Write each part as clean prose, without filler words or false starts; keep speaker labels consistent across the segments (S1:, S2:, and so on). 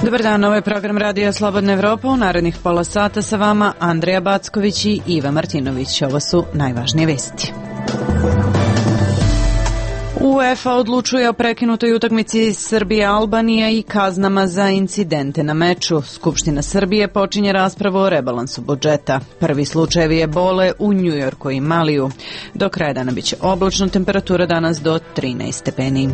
S1: Dobar dan, ovo je program Radija Slobodna Evropa. U narednih pola sata sa vama Andreja Backović i Iva Martinović. Ovo su najvažnije vesti. UEFA odlučuje o prekinutoj utakmici Srbija-Albanija i kaznama za incidente na meču. Skupština Srbije počinje raspravu o rebalansu budžeta. Prvi slučajevi ebole u Njujorku i Maliju. Do kraja dana biće oblačno, temperatura danas do 13 stepeni.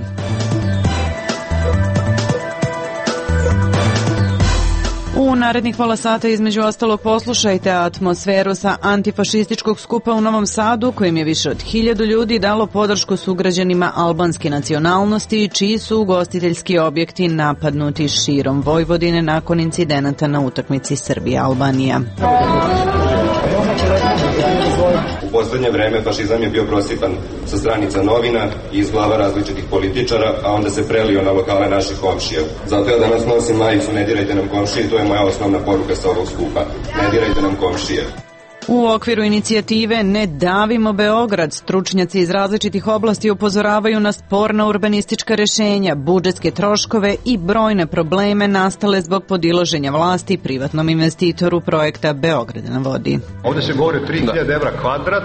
S1: U narednih pola sata između ostalog poslušajte atmosferu sa antifašističkog skupa u Novom Sadu, kojim je više od 1000 ljudi dalo podršku sugrađanima albanske nacionalnosti, čiji su ugostiteljski objekti napadnuti širom Vojvodine nakon incidenata na utakmici Srbija-Albanija.
S2: U poslednje vreme fašizam je bio prosipan sa stranica novina i iz glava različitih političara, a onda se prelio na lokale naših komšija. Zato ja danas nosim majicu "Ne dirajte nam komšije", to je moja osnovna poruka sa ovog skupa. Ne dirajte nam komšije.
S1: U okviru inicijative Ne davimo Beograd, stručnjaci iz različitih oblasti upozoravaju na sporna urbanistička rešenja, budžetske troškove i brojne probleme nastale zbog podilaženja vlasti privatnom investitoru projekta Beograd na vodi.
S3: Ovde se govori o 3000 evra kvadrat,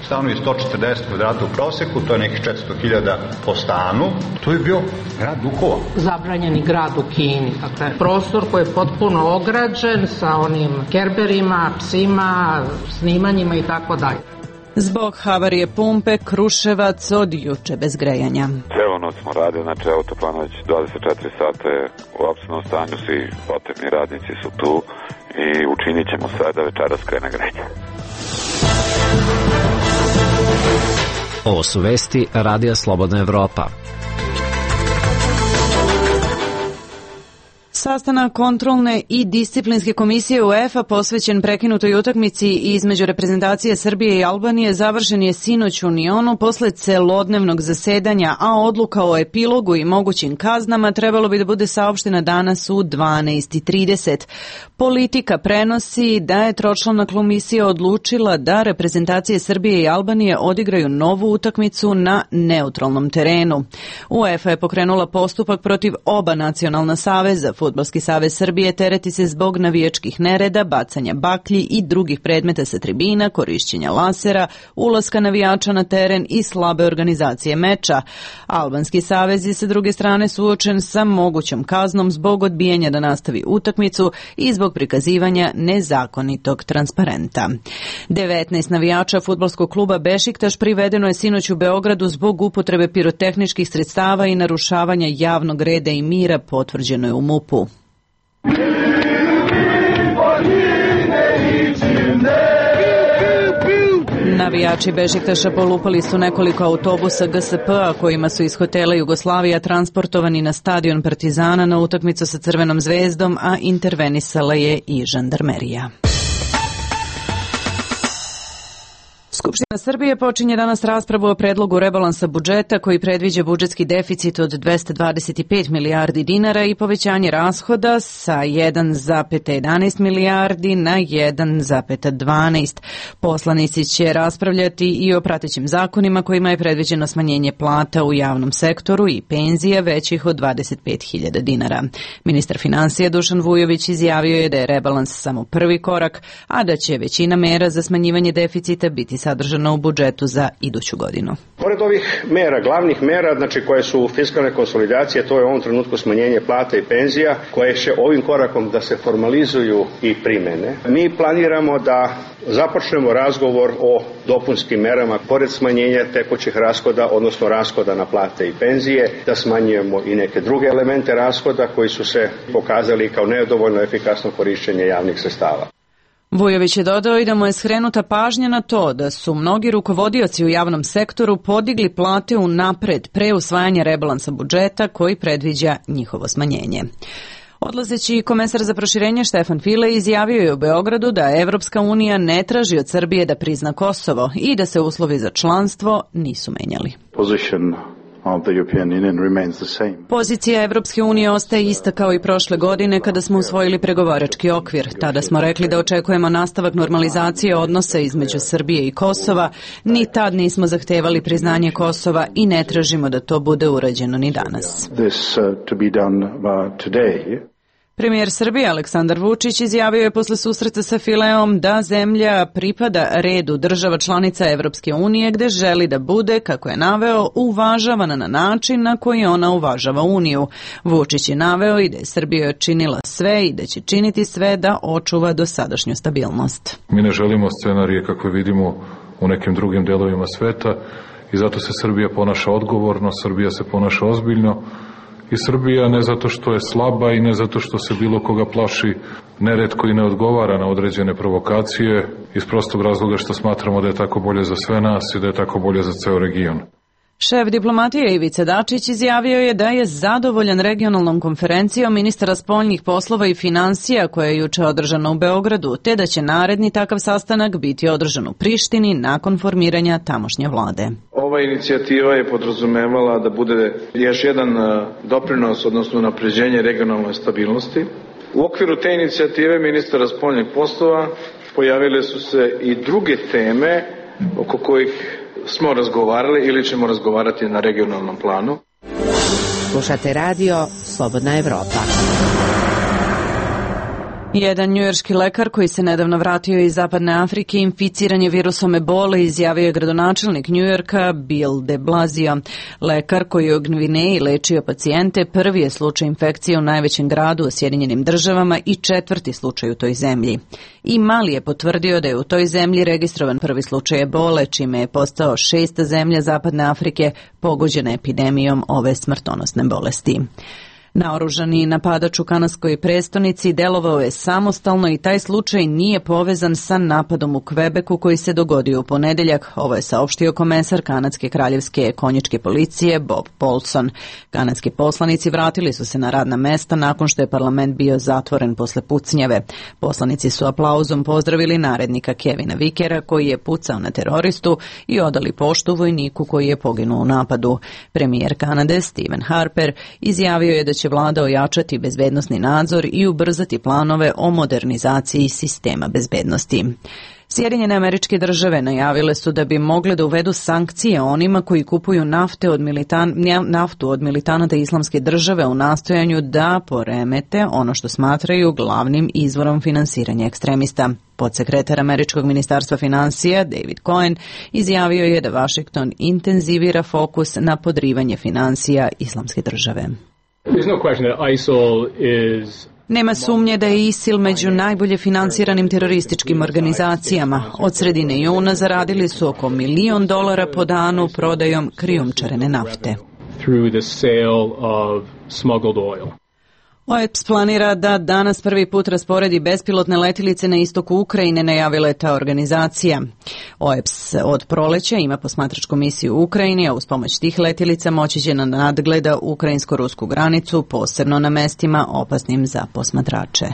S3: stanovi 140 kvadrata u proseku, to je nekih 400.000 po stanu. To je bio grad duhova.
S4: Zabranjeni grad u Kini. Dakle, prostor koji je potpuno ograđen sa onim kerberima, psima, snimanjima i tako dalje.
S1: Zbog havarije pumpe Kruševac od juče bez grejanja.
S5: Celo noć smo radili, znači autoplan već 24 sata je u optimnom stanju, svi potrebni radnici su tu i učinit ćemo sve da večeras krene grejanje.
S6: Ovo su vesti Radija Slobodna Evropa.
S1: Sastanak kontrolne i disciplinske komisije UEFA posvećen prekinutoj utakmici između reprezentacije Srbije i Albanije završen je sinoć u Unionu posle celodnevnog zasedanja, a odluka o epilogu i mogućim kaznama trebalo bi da bude saopštena danas u 12:30. Politika prenosi da je tročlana komisija odlučila da reprezentacije Srbije i Albanije odigraju novu utakmicu na neutralnom terenu. UEFA je pokrenula postupak protiv oba nacionalna saveza. Fudbalski savez Srbije tereti se zbog navijačkih nereda, bacanja baklji i drugih predmeta sa tribina, korišćenja lasera, ulaska navijača na teren i slabe organizacije meča. Albanski savez je sa druge strane suočen sa mogućom kaznom zbog odbijanja da nastavi utakmicu i zbog prikazivanja nezakonitog transparenta. 19 navijača fudbalskog kluba Bešiktaš privedeno je sinoć u Beogradu zbog upotrebe pirotehničkih sredstava i narušavanja javnog reda i mira, potvrđeno je u MUP-u. Navijači Bešiktaša polupali su nekoliko autobusa GSP-a kojima su iz hotela Jugoslavija transportovani na stadion Partizana na utakmicu sa Crvenom zvezdom, a intervenisala je i žandarmerija. Skupština Srbije počinje danas raspravu o predlogu rebalansa budžeta koji predviđa budžetski deficit od 225 milijardi dinara i povećanje rashoda sa 1,11 milijardi na 1,12. Poslanici će raspravljati i o pratećim zakonima kojima je predviđeno smanjenje plata u javnom sektoru i penzija većih od 25.000 dinara. Ministar finansija Dušan Vujović izjavio je da je rebalans samo prvi korak, a da će većina mera za smanjivanje deficita biti sadržano u budžetu za iduću godinu.
S7: Pored ovih mera, glavnih mera, znači koje su fiskalne konsolidacije, to je u ovom trenutku smanjenje plata i penzija, koje će ovim korakom da se formalizuju i primene. Mi planiramo da započnemo razgovor o dopunskim merama, pored smanjenja tekućih rashoda, odnosno rashoda na plate i penzije, da smanjujemo i neke druge elemente rashoda koji su se pokazali kao nedovoljno efikasno korišćenje javnih sredstava.
S1: Vujović je dodao i da mu je skrenuta pažnja na to da su mnogi rukovodioci u javnom sektoru podigli plate unapred pre usvajanja rebalansa budžeta koji predviđa njihovo smanjenje. Odlazeći komesar za proširenje Štefan File izjavio je u Beogradu da Evropska unija ne traži od Srbije da prizna Kosovo i da se uslovi za članstvo nisu menjali.
S8: Position
S1: Pozicija Evropske unije ostaje ista kao i prošle godine kada smo usvojili pregovarački okvir. Tada smo rekli da očekujemo nastavak normalizacije odnosa između Srbije i Kosova. Ni tad nismo zahtevali priznanje Kosova i ne tražimo da to bude urađeno ni danas. Premijer Srbije Aleksandar Vučić izjavio je posle susreta sa Fileom da zemlja pripada redu država članica Evropske unije gde želi da bude, kako je naveo, uvažavana na način na koji ona uvažava Uniju. Vučić je naveo i da je Srbija činila sve i da će činiti sve da očuva dosadašnju stabilnost.
S8: Mi ne želimo scenarije kakve vidimo u nekim drugim delovima sveta i zato se Srbija ponaša odgovorno, Srbija se ponaša ozbiljno. I Srbija ne zato što je slaba i ne zato što se bilo koga plaši, neretko i ne odgovara na određene provokacije, iz prostog razloga što smatramo da je tako bolje za sve nas i da je tako bolje za ceo region.
S1: Šef diplomatije Ivica Dačić izjavio je da je zadovoljan regionalnom konferencijom ministara spoljnih poslova i finansija koja je juče održana u Beogradu, te da će naredni takav sastanak biti održan u Prištini nakon formiranja tamošnje vlade.
S9: Ova inicijativa je podrazumevala da bude još jedan doprinos, odnosno unapređenje regionalne stabilnosti. U okviru te inicijative ministara spoljnih poslova pojavile su se i druge teme oko kojih smo razgovarali ili ćemo razgovarati na regionalnom planu.
S10: Slušate radio Slobodna Evropa.
S1: Jedan njujorški lekar koji se nedavno vratio iz Zapadne Afrike inficiran je virusom ebole, izjavio je gradonačelnik Njujorka Bill de Blasio. Lekar koji je u Gvineji lečio pacijente prvi je slučaj infekcije u najvećem gradu u Sjedinjenim Državama i četvrti slučaj u toj zemlji. I Mali je potvrdio da je u toj zemlji registrovan prvi slučaj ebole, čime je postao 6. zemlja Zapadne Afrike pogođena epidemijom ove smrtonosne bolesti. Naoružani napadač u kanadskoj prestonici delovao je samostalno i taj slučaj nije povezan sa napadom u Kvebeku koji se dogodio u ponedeljak. Ovo je saopštio komesar kanadske kraljevske konjičke policije Bob Paulson. Kanadski poslanici vratili su se na radna mesta nakon što je parlament bio zatvoren posle pucnjave. Poslanici su aplauzom pozdravili narednika Kevina Vikera koji je pucao na teroristu i odali poštu vojniku koji je poginuo u napadu. Premijer Kanade Stephen Harper izjavio je da će vlada ojačati bezbednosni nadzor i ubrzati planove o modernizaciji sistema bezbednosti. Sjedinjene Američke Države najavile su da bi mogle da uvedu sankcije onima koji kupuju naftu od militanata Islamske države u nastojanju da poremete ono što smatraju glavnim izvorom finansiranja ekstremista. Podsekretar Američkog ministarstva finansija David Cohen izjavio je da Washington intenzivira fokus na podrivanje finansija Islamske države. Nema sumnje da je ISIL među najbolje finansiranim terorističkim organizacijama. Od sredine juna zaradili su oko $1 milion po danu prodajom krijumčarene nafte. OEPS planira da danas prvi put rasporedi bespilotne letilice na istoku Ukrajine, najavila je ta organizacija. OEPS od proleća ima posmatračku misiju u Ukrajini, a uz pomoć tih letilica moći će da nadgleda ukrajinsko-rusku granicu, posebno na mestima opasnim za posmatrače.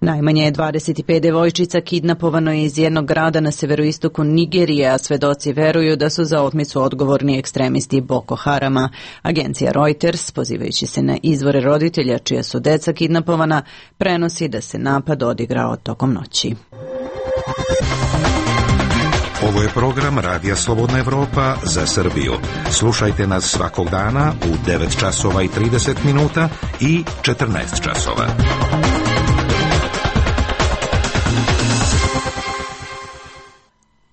S1: Najmanje je 25 devojčica kidnapovano iz jednog grada na severoistoku Nigerije, a svedoci veruju da su za otmicu odgovorni ekstremisti Boko Harama. Agencija Reuters, pozivajući se na izvore roditelja čija su deca kidnapovana, prenosi da se napad odigrao tokom noći.
S11: Ovo je program Radija Slobodna Evropa za Srbiju. Slušajte nas svakog dana u 9 časova i 30 minuta i 14 časova.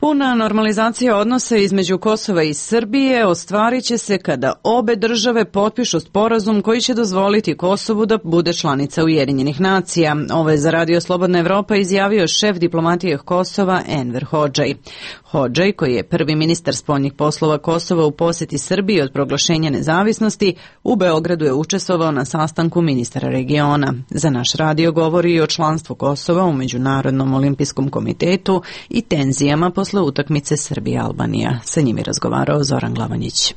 S1: Puna normalizacija odnosa između Kosova i Srbije ostvarit će se kada obe države potpišu sporazum koji će dozvoliti Kosovu da bude članica Ujedinjenih nacija. Ovo je za Radio Slobodna Evropa izjavio šef diplomatije Kosova Enver Hodžaj. Hodžaj, koji je prvi ministar spoljnih poslova Kosova u poseti Srbiji od proglašenja nezavisnosti, u Beogradu je učestvovao na sastanku ministara regiona. Za naš radio govori i o članstvu Kosova u Međunarodnom olimpijskom komitetu i tenzijama posle utakmice Srbija-Albanija. Sa njim je razgovarao Zoran Glavanjić.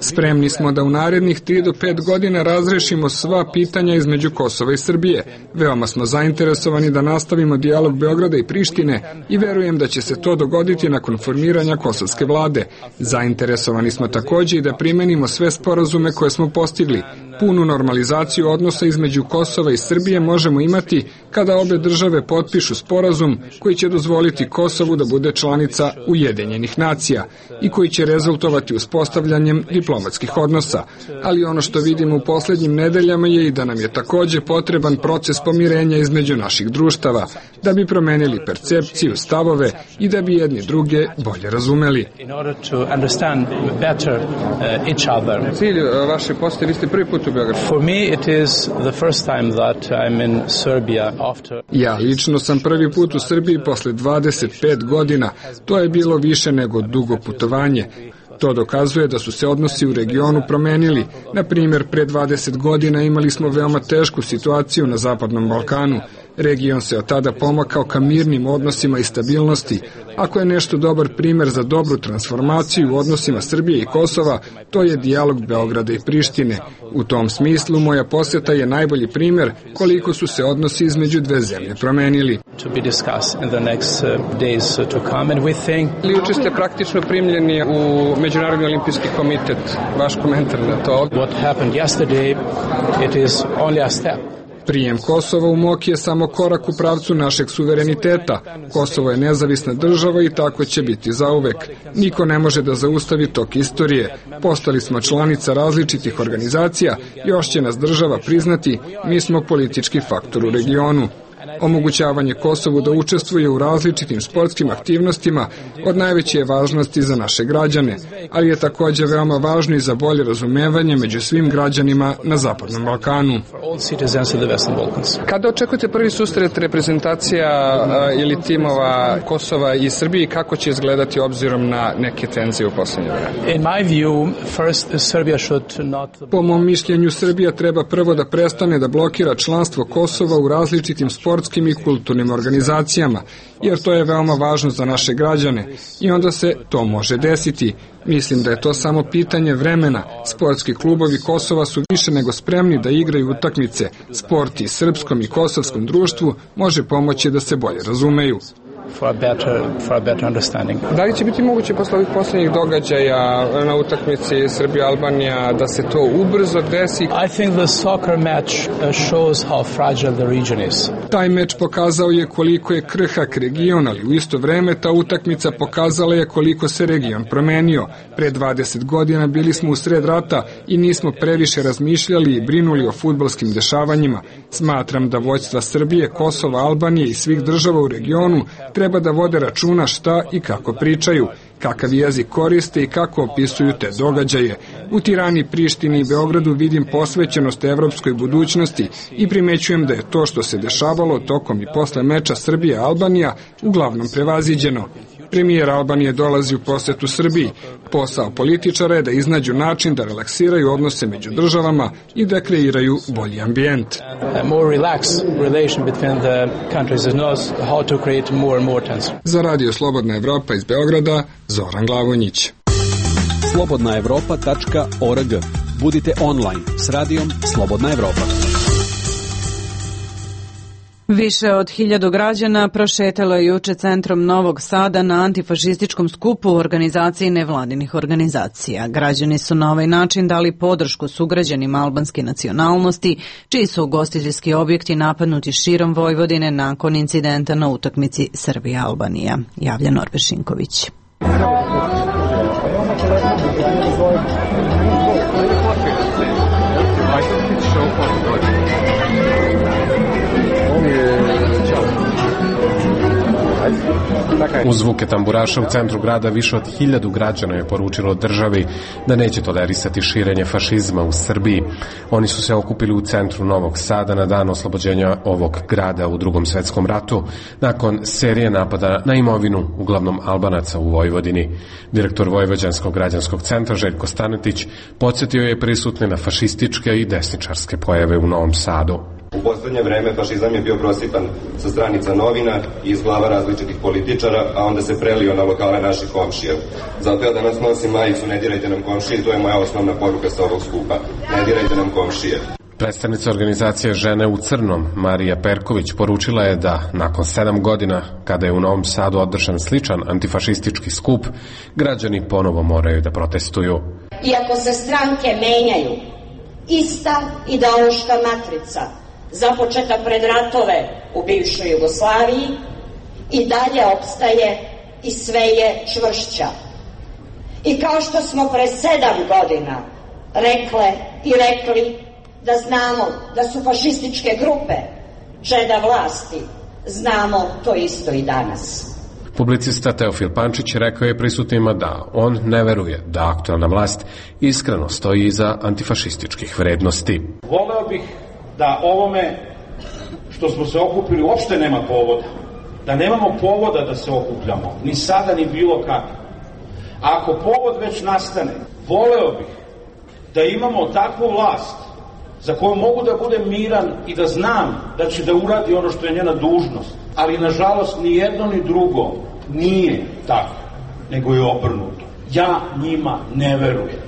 S12: Spremni smo da u narednih 3 do 5 godina razrešimo sva pitanja između Kosova i Srbije. Veoma smo zainteresovani da nastavimo dijalog Beograda i Prištine i verujem da će se to dogoditi nakon formiranja kosovske vlade. Zainteresovani smo takođe i da primenimo sve sporazume koje smo postigli. Punu normalizaciju odnosa između Kosova i Srbije možemo imati kada obe države potpišu sporazum koji će dozvoliti Kosovu da bude članica Ujedinjenih nacija i koji će rezultovati uspostavljanjem diplomatskih odnosa. Ali ono što vidimo u poslednjim nedeljama je i da nam je takođe potreban proces pomirenja između naših društava, da bi promenili percepciju, stavove i da bi jedni druge bolje razumeli. Cilj vaše posete, vi ste prvi put u Beogradu. Ja lično sam prvi put u Srbiji posle 25 godina. To je bilo više nego dugo putovanje. To dokazuje da su se odnosi u regionu promenili. Na primjer, pre 20 godina imali smo veoma tešku situaciju na Zapadnom Balkanu. Region se od tada pomakao ka mirnim odnosima i stabilnosti. Ako je nešto dobar primer za dobru transformaciju u odnosima Srbije i Kosova, to je dijalog Beograda i Prištine. U tom smislu, moja poseta je najbolji primer koliko su se odnosi između dve zemlje promenili. Juče ste praktično primljeni u Međunarodni olimpijski komitet. Vaš komentar na to? Prijem Kosova u MOK je samo korak u pravcu našeg suvereniteta. Kosovo je nezavisna država i tako će biti zauvek. Niko ne može da zaustavi tok istorije. Postali smo članica različitih organizacija, još će nas država priznati, mi smo politički faktor u regionu. Omogućavanje Kosovu da učestvuje u različitim sportskim aktivnostima od najveće je važnosti za naše građane, ali je takođe veoma važno i za bolje razumevanje među svim građanima na Zapadnom Balkanu. Kada očekujete prvi susret reprezentacija ili timova Kosova i Srbije i kako će izgledati obzirom na neke tenzije u poslednje vreme? Po mom mišljenju, Srbija treba prvo da prestane da blokira članstvo Kosova u različitim sportskim i kulturnim organizacijama, jer to je veoma važno za naše građane i onda se to može desiti. Mislim da je to samo pitanje vremena. Sportski klubovi Kosova su više nego spremni da igraju utakmice. Sport i srpskom i kosovskom društvu može pomoći da se bolje razumeju. Da li će biti moguće posle ovih poslednjih događaja na utakmici Srbija-Albanija da se to ubrzo desi? Taj meč pokazao je koliko je krhak region, ali u isto vreme ta utakmica pokazala je koliko se region promenio. Pre 20 godina bili smo u sred rata i nismo previše razmišljali i brinuli o fudbalskim dešavanjima. Smatram da vođstva Srbije, Kosova, Albanije i svih država u regionu treba da vode računa šta i kako pričaju, kakav jezik koriste i kako opisuju te događaje. U Tirani, Prištini i Beogradu vidim posvećenost evropskoj budućnosti i primećujem da je to što se dešavalo tokom i posle meča Srbija-Albanija uglavnom prevaziđeno. Premijer Albanije dolazi u posetu Srbiji. Posao političara je da iznađu način da relaksiraju odnose među državama i da kreiraju bolji ambijent. Za Radio Slobodna Evropa iz Beograda, Zoran Glavonjić.
S13: slobodnaevropa.org. Budite online s radijom Slobodna Evropa.
S1: Više od 1000 građana prošetalo je juče centrom Novog Sada na antifašističkom skupu u organizaciji nevladinih organizacija. Građani su na ovaj način dali podršku sugrađanima albanske nacionalnosti, čiji su ugostiteljski objekti napadnuti širom Vojvodine nakon incidenta na utakmici Srbija-Albanija, javlja Norbe Šinković.
S14: Uz zvuke tamburaša u centru grada više od 1000 građana je poručilo državi da neće tolerisati širenje fašizma u Srbiji. Oni su se okupili u centru Novog Sada na dan oslobođenja ovog grada u Drugom svetskom ratu, nakon serije napada na imovinu, uglavnom Albanaca u Vojvodini. Direktor Vojvođanskog građanskog centra Željko Stanetić podsjetio je prisutne na fašističke i desničarske pojave u Novom Sadu.
S2: U poslednje vreme fašizam je bio prosipan sa stranica novina i iz glava različitih političara, a onda se prelio na lokale naših komšija. Zato ja danas nosim majicu "Ne dirajte nam komšije" i to je moja osnovna poruka sa ovog skupa. Ne dirajte nam komšije.
S14: Predstavnica organizacije Žene u crnom, Marija Perković, poručila je da nakon 7 godina, kada je u Novom Sadu održan sličan antifašistički skup, građani ponovo moraju da protestuju.
S15: Iako se stranke menjaju, ista ideološka matrica, započeta pred ratove u bivšoj Jugoslaviji, i dalje opstaje i sve je čvršća. I kao što smo pre 7 godina rekle i rekli da znamo da su fašističke grupe čeda vlasti, znamo to isto i danas.
S14: Publicista Teofil Pančić rekao je prisutnima da on ne veruje da aktuelna vlast iskreno stoji iza antifašističkih vrednosti.
S16: Voleo bih da ovome što smo se okupili uopšte nema povoda. Da nemamo povoda da se okupljamo, ni sada ni bilo kako. Ako povod već nastane, voleo bih da imamo takvu vlast za koju mogu da budem miran i da znam da će da uradi ono što je njena dužnost. Ali, nažalost, ni jedno ni drugo nije tako, nego je obrnuto. Ja njima ne verujem.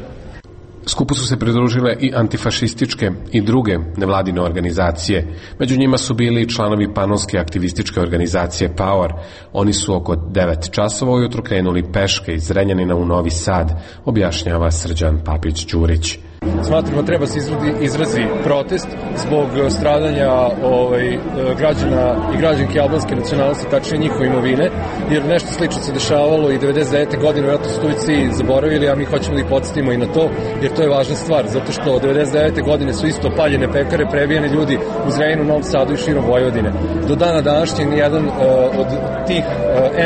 S14: Skupu su se pridružile i antifašističke i druge nevladine organizacije. Među njima su bili i članovi panonske aktivističke organizacije Power. Oni su oko 9 časova ujutro krenuli peške iz Zrenjanina u Novi Sad, objašnjava Srđan Papić-Đurić.
S17: Smatramo treba se izrazi protest zbog stradanja građana i građanke albanske nacionalnosti, tačnije njihove imovine, jer nešto slično se dešavalo i 99. godine, vjerojatno su Tujci zaboravili, a mi hoćemo da ih podsjetimo i na to, jer to je važna stvar, zato što 99. godine su isto paljene pekare, prebijeni ljudi u Zrenjaninu, Novom Sadu i širom Vojvodine. Do dana današnjeg nijedan od tih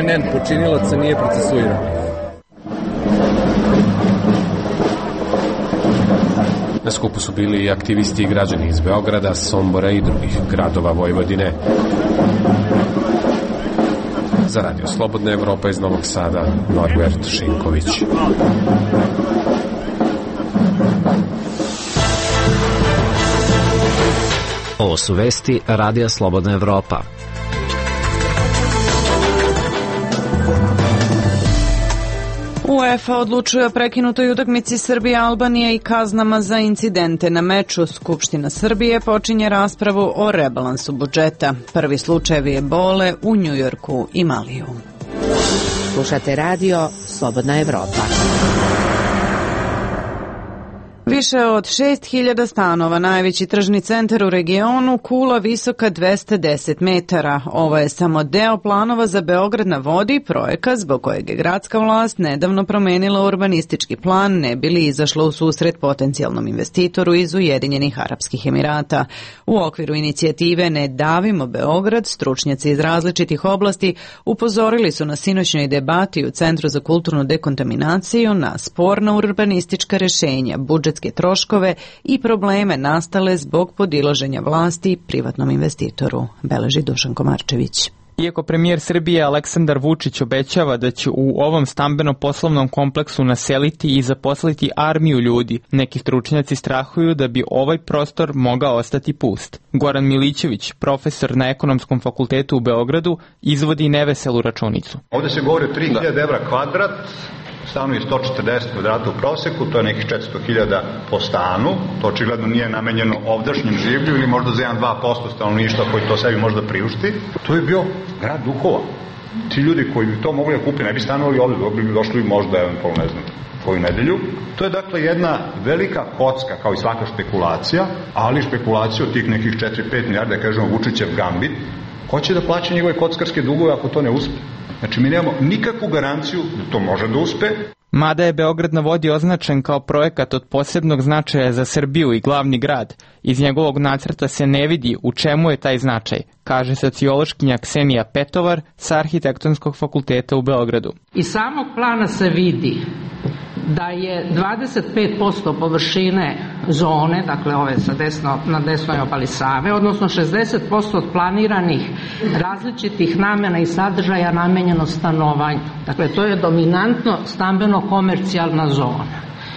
S17: NN počinilaca nije procesuiran.
S14: Na skupu su bili i aktivisti i građani iz Beograda, Sombora i drugih gradova Vojvodine. Za Radio Slobodna Evropa iz Novog Sada, Norbert Šinković.
S6: Ovo su vesti Radija Slobodna Evropa.
S1: UEFA odlučuje o prekinutoj utakmici Srbije-Albanije i kaznama za incidente na meču. Skupština Srbije počinje raspravu o rebalansu budžeta. Prvi slučajevi ebole u Njujorku i Maliju.
S10: Slušate radio Slobodna Evropa.
S1: Više od 6.000 stanova, najveći tržni centar u regionu, kula visoka 210 metara. Ovo je samo deo planova za Beograd na vodi, projekat zbog kojeg je gradska vlast nedavno promenila urbanistički plan, ne bi li izašla u susret potencijalnom investitoru iz Ujedinjenih Arapskih Emirata. U okviru inicijative Ne davimo Beograd, stručnjaci iz različitih oblasti upozorili su na sinoćnoj debati u Centru za kulturnu dekontaminaciju na sporna urbanistička rešenja, budžetske troškove i probleme nastale zbog podilaženja vlasti privatnom investitoru, beleži Dušan Komarčević.
S18: Iako premijer Srbije Aleksandar Vučić obećava da će u ovom stambeno-poslovnom kompleksu naseliti i zaposliti armiju ljudi, neki stručnjaci strahuju da bi ovaj prostor mogao ostati pust. Goran Milićević, profesor na Ekonomskom fakultetu u Beogradu, izvodi neveselu računicu.
S3: Ovde se govori o 3000 evra kvadrat, stanovi 140 kvadrata u proseku, to je nekih 400.000 po stanu, to očigledno nije namenjeno ovdašnjem življu ili možda za 1-2% stanovništva koji to sebi možda priušti. To je bio grad duhova. Ti ljudi koji bi to mogli da kupi ne bi stanovali ovde, bi došli možda eventualno, ne znam, koju nedelju. To je dakle jedna velika kocka, kao i svaka špekulacija, ali špekulacija od tih nekih 4-5 milijarda, kažemo Vučićev gambit. Ko će da plaća njegove kockarske dugove ako to ne uspe? Znači, mi nemamo nikakvu garanciju da to može da uspe.
S18: Mada je Beograd na vodi označen kao projekat od posebnog značaja za Srbiju i glavni grad, iz njegovog nacrta se ne vidi u čemu je taj značaj, kaže sociološkinja Ksenija Petovar sa Arhitektonskog fakulteta u Beogradu.
S4: Iz samog plana se vidi da je 25% površine zone, dakle ove na desnoj obali Save, odnosno 60% od planiranih različitih namena i sadržaja namenjeno stanovanju. Dakle, to je dominantno stambeno-komercijalna zona.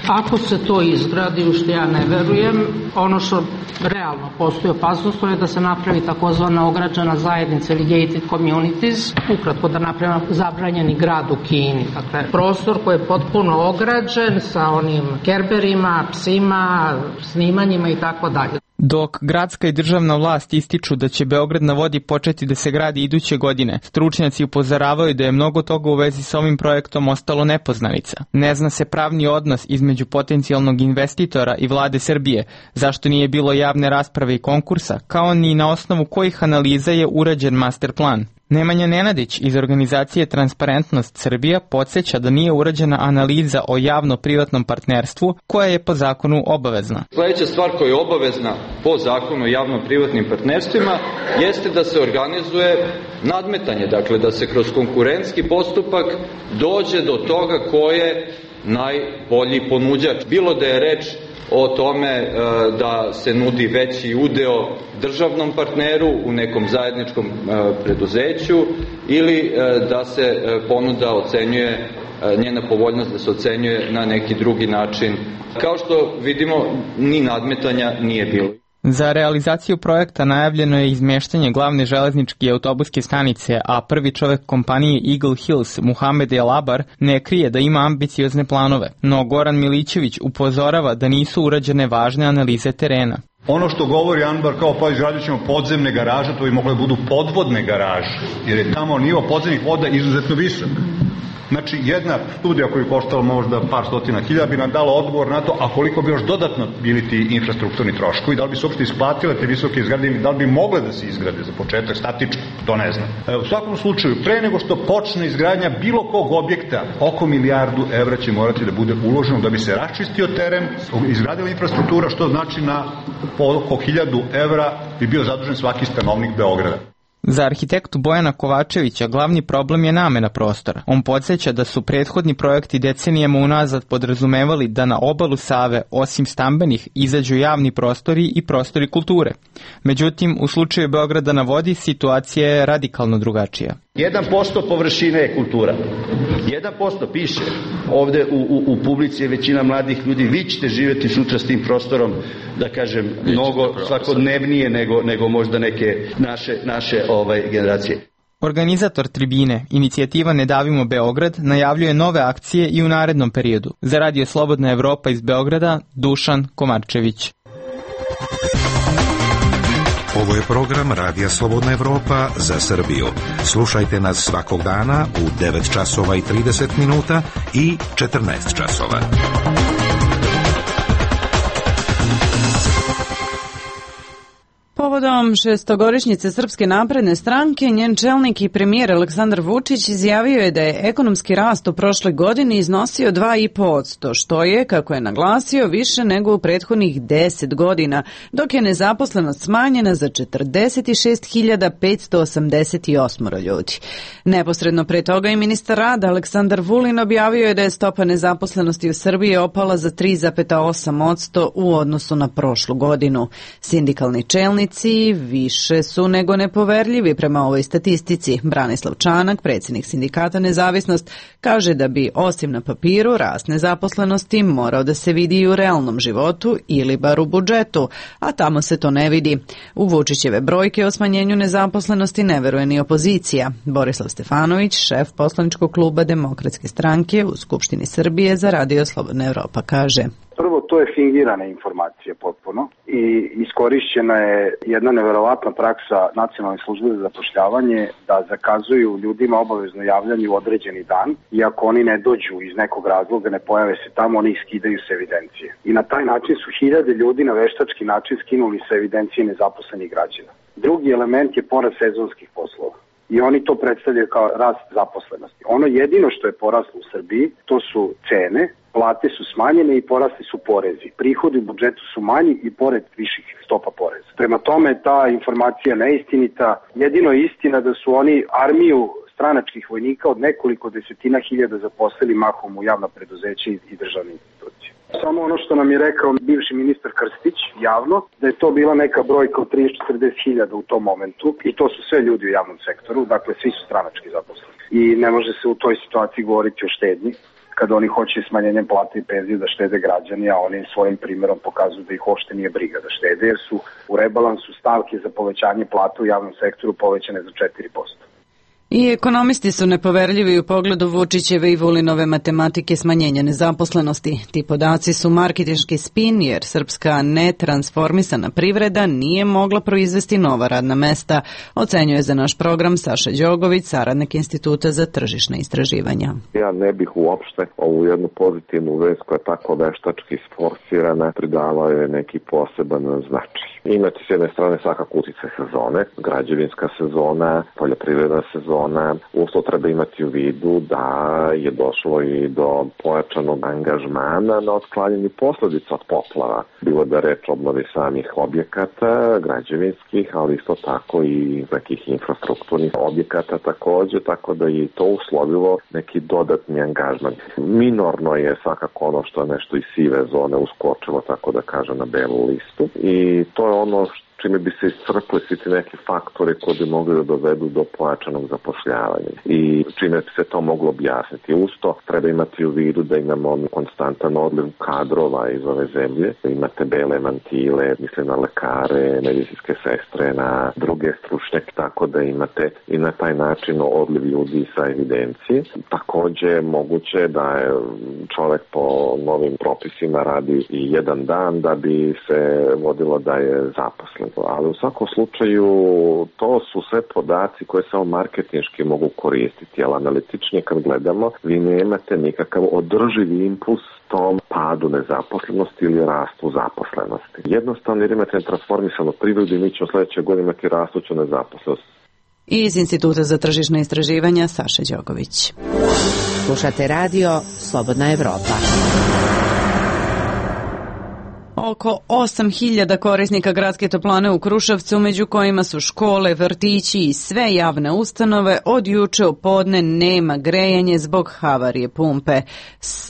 S4: Ako se to izgradi, u što ja ne verujem, ono što realno postoji opasnost, to je da se napravi takozvana ograđena zajednica ili gated communities, ukratko da napravimo zabranjeni grad u Kini. Dakle, prostor koji je potpuno ograđen sa onim kerberima, psima, snimanjima i tako dalje.
S18: Dok gradska i državna vlast ističu da će Beograd na vodi početi da se gradi iduće godine, stručnjaci upozoravaju da je mnogo toga u vezi sa ovim projektom ostalo nepoznanica. Ne zna se pravni odnos između potencijalnog investitora i vlade Srbije, zašto nije bilo javne rasprave i konkursa, kao ni na osnovu kojih analiza je urađen master plan. Nemanja Nenadić iz organizacije Transparentnost Srbija podsjeća da nije urađena analiza o javno-privatnom partnerstvu koja je po zakonu obavezna.
S19: Sljedeća stvar koja je obavezna po zakonu o javno-privatnim partnerstvima jeste da se organizuje nadmetanje, dakle da se kroz konkurentski postupak dođe do toga ko je najbolji ponuđač. Bilo da je reč o tome da se nudi veći udeo državnom partneru u nekom zajedničkom preduzeću ili da se ponuda ocenjuje, njena povoljnost da se ocenjuje na neki drugi način. Kao što vidimo, ni nadmetanja nije bilo.
S18: Za realizaciju projekta najavljeno je izmeštanje glavne železničke i autobuske stanice, a prvi čovek kompanije Eagle Hills, Muhamed El Abar, ne krije da ima ambiciozne planove. No Goran Milićević upozorava da nisu urađene važne analize terena.
S3: Ono što govori Anbar kao pa izradit ćemo podzemne garaže, to bi mogle budu podvodne garaže, jer je tamo nivo podzemnih voda izuzetno visok. Znači, jedna studija koju je koštala možda par stotina hiljada bi nam dala odgovor na to, a koliko bi još dodatno bili ti infrastrukturni troškovi, da li bi se uopšte isplatile te visoke izgrade ili da li bi mogle da se izgrade za početak statički, to ne znam. U svakom slučaju, pre nego što počne izgradnja bilo kog objekta, oko €1.000.000 će morati da bude uloženo da bi se raščistio teren, izgradila infrastruktura, što znači na oko €1.000 bi bio zadužen svaki stanovnik Beograda.
S18: Za arhitektu Bojana Kovačevića glavni problem je namena prostora. On podsjeća da su prethodni projekti decenijama unazad podrazumevali da na obalu Save, osim stambenih, izađu javni prostori i prostori kulture. Međutim, u slučaju Beograda na vodi situacija je radikalno drugačija.
S20: 1% površine je kultura. 1% piše. Ovde u publici je većina mladih ljudi. Vi ćete živjeti sutra s tim prostorom, da kažem, mnogo svakodnevnije nego možda neke naše generacije.
S18: Organizator tribine, inicijativa Ne davimo Beograd, najavljuje nove akcije i u narednom periodu. Za Radio Slobodna Evropa iz Beograda, Dušan Komarčević.
S11: Ovo je program Radija Slobodna Evropa za Srbiju. Slušajte nas svakog dana u 9 časova i 30 minuta i 14 časova.
S1: Povodom šestogodišnjice Srpske napredne stranke, njen čelnik i premijer Aleksandar Vučić izjavio je da je ekonomski rast u prošloj godini iznosio 2,5%, što je, kako je naglasio, više nego u prethodnih 10 godina, dok je nezaposlenost smanjena za 46.588 ljudi. Neposredno pre toga i ministar rada Aleksandar Vulin objavio je da je stopa nezaposlenosti u Srbiji opala za 3,8% u odnosu na prošlu godinu. Sindikalni čelnici više su nego nepoverljivi prema ovoj statistici. Branislav Čanak, predsjednik sindikata Nezavisnost, kaže da bi osim na papiru rast nezaposlenosti morao da se vidi i u realnom životu ili bar u budžetu, a tamo se to ne vidi. U Vučićeve brojke o smanjenju nezaposlenosti ne veruje ni opozicija. Borislav Stefanović, šef poslaničkog kluba Demokratske stranke u Skupštini Srbije za Radio Slobodna Evropa, kaže:
S21: Prvo, to je fingirana informacija potpuno i iskorišćena je jedna neverovatna praksa Nacionalne službe za zapošljavanje da zakazuju ljudima obavezno javljanje u određeni dan i ako oni ne dođu iz nekog razloga, ne pojave se tamo, oni skidaju se evidencije. I na taj način su hiljade ljudi na veštački način skinuli sa evidencije nezaposlenih građana. Drugi element je porast sezonskih poslova. I oni to predstavljaju kao rast zaposlenosti. Ono jedino što je poraslo u Srbiji, to su cene, plate su smanjene i porasli su porezi. Prihodi u budžetu su manji i pored viših stopa poreza. Prema tome, ta informacija neistinita. Jedino je istina da su oni armiju stranačkih vojnika od nekoliko desetina hiljada zaposlili mahom u javna preduzeća i državne institucije. Samo ono što nam je rekao bivši ministar Krstić javno, da je to bila neka brojka od 30-40 hiljada u tom momentu i to su sve ljudi u javnom sektoru, dakle svi su stranački zaposleni. I ne može se u toj situaciji govoriti o štednji, kad oni hoće smanjenjem plata i penzije da štede građani, a oni svojim primjerom pokazuju da ih uopšte nije briga da štede, jer su u rebalansu stavke za povećanje plata u javnom sektoru povećane za 4%.
S1: I ekonomisti su nepoverljivi u pogledu Vučićeve i Vulinove matematike smanjenja nezaposlenosti. Ti podaci su marketinški spin jer srpska netransformisana privreda nije mogla proizvesti nova radna mesta, ocenjuje za naš program Saša Đogović, saradnik Instituta za tržišne istraživanja.
S5: Ja ne bih uopšte ovu jednu pozitivnu vest koja je tako veštački sforsirana pridala je neki poseban značaj. Imate s jedne strane svakako utice sezone, građevinska sezona, poljoprivredna sezona. Usto treba imati u vidu da je došlo i do pojačanog angažmana na otklanjanju posledica od poplava. Bilo da reč obnovi samih objekata, građevinskih, ali isto tako i nekih infrastrukturnih objekata takođe, tako da je to uslovilo neki dodatni angažman. Minorno je svakako ono što je nešto iz sive zone uskočilo, tako da kaže, na belu listu i to je ono čime bi se iscrpili svi ti neki faktori koji bi mogli da dovedu do pojačanog zapošljavanja i čime bi se to moglo objasniti. Usto treba imati u vidu da imamo konstantan odliv kadrova iz ove zemlje. Imate bele mantile, mislim na lekare, medicinske sestre, na druge stručnjake, tako da imate i na taj način odliv ljudi sa evidencije. Takođe moguće da je čovek po novim propisima radi i jedan dan da bi se vodilo da je zaposlen. Ali u svakom slučaju to su sve podaci koje samo marketinški mogu koristiti, ali analitičnije kad gledamo vi nemate nikakav održivi impuls tom padu nezaposlenosti ili rastu zaposlenosti. Jednostavno jer imate transformisanu privredu i mi ćemo sledeće godine imati rastuću nezaposlenost.
S1: Iz Instituta za tržišne istraživanja Saša Đogović.
S10: Slušate radio Slobodna Evropa.
S1: Oko 8.000 korisnika gradske toplane u Kruševcu, među kojima su škole, vrtići i sve javne ustanove, od juče u podne nema grejanje zbog havarije pumpe.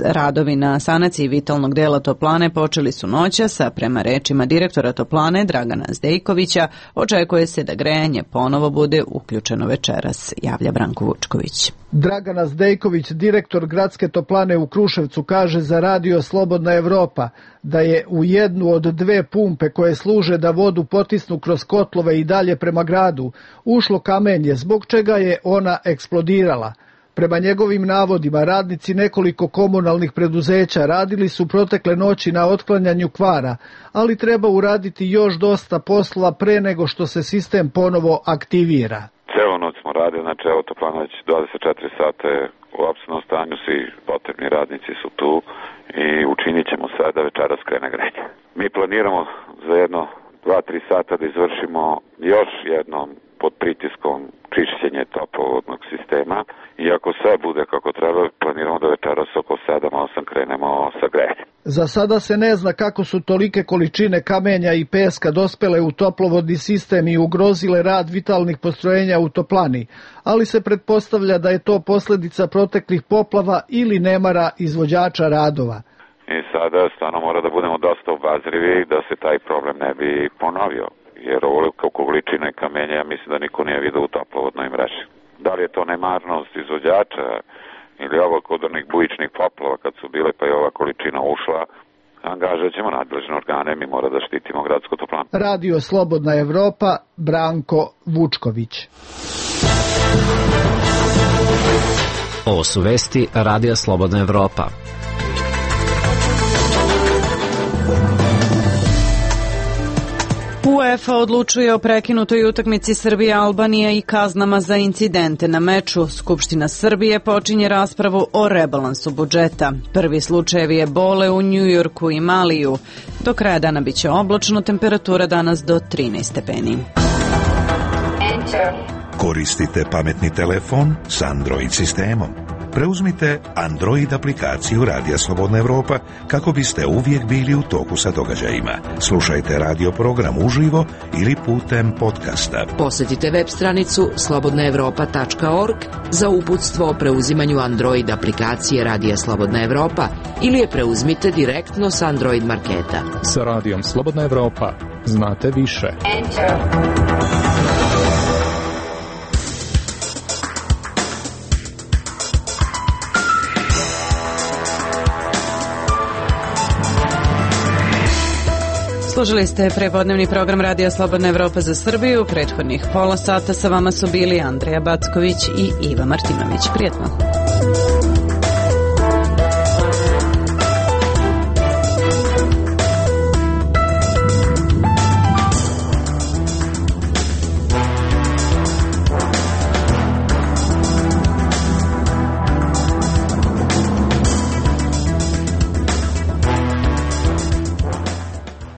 S1: Radovi na sanaciji vitalnog dela toplane počeli su noćas, a prema rečima direktora toplane Dragana Zdejkovića očekuje se da grejanje ponovo bude uključeno večeras, javlja Branko Vučković.
S22: Dragana Zdejković, direktor gradske toplane u Kruševcu, kaže za radio Slobodna Evropa da je u jednu od dve pumpe koje služe da vodu potisnu kroz kotlove i dalje prema gradu ušlo kamenje, zbog čega je ona eksplodirala. Prema njegovim navodima, radnici nekoliko komunalnih preduzeća radili su protekle noći na otklanjanju kvara, ali treba uraditi još dosta posla pre nego što se sistem ponovo aktivira.
S23: Celo noć smo radili, znači evo toplana već 24 sata je u apsolutnom stanju, svi potrebni radnici su tu i učinit ćemo sve da večeras krene grejanje. Mi planiramo za jedno 2-3 sata da izvršimo još jednom pod pritiskom čišćenje toplovodnog sistema i ako sve bude kako treba, planiramo da večeras oko 7-8 krenemo sa grejanjem.
S22: Za sada se ne zna kako su tolike količine kamenja i peska dospele u toplovodni sistem i ugrozile rad vitalnih postrojenja u toplani, ali se pretpostavlja da je to posledica proteklih poplava ili nemara izvođača radova.
S23: I sada stvarno mora da budemo dosta obazrivi da se taj problem ne bi ponovio, jer ovoliko količine kamenja ja mislim da niko nije vidio u toplovodnoj mreži. Da li je to nemarnost izvođača ili ovo kod onih bujičnih poplava kad su bile pa je ova količina ušla, angažat ćemo nadležne organe, mi mora da štitimo gradsku toplanu.
S22: Radio Slobodna Evropa, Branko Vučković.
S6: Ovo su vesti Radija Slobodna Evropa.
S1: UEFA odlučuje o prekinutoj utakmici Srbija-Albanija i kaznama za incidente na meču. Skupština Srbije počinje raspravu o rebalansu budžeta. Prvi slučajevi ebole u Njujorku i Maliju. Do kraja dana biće oblačno, temperatura danas do 13 stepeni.
S11: Koristite pametni telefon s Android sistemom. Preuzmite Android aplikaciju Radija Slobodna Evropa kako biste uvijek bili u toku sa događajima. Slušajte radio program uživo ili putem podcasta.
S10: Posjetite web stranicu slobodnaevropa.org za uputstvo o preuzimanju Android aplikacije Radija Slobodna Evropa ili je preuzmite direktno s Android marketa.
S24: Sa Radijom Slobodna Evropa znate više.
S1: Slušali ste prepodnevni program Radija Slobodna Evropa za Srbiju. Prethodnih pola sata sa vama su bili Andreja Backović i Iva Martinović. Prijetno.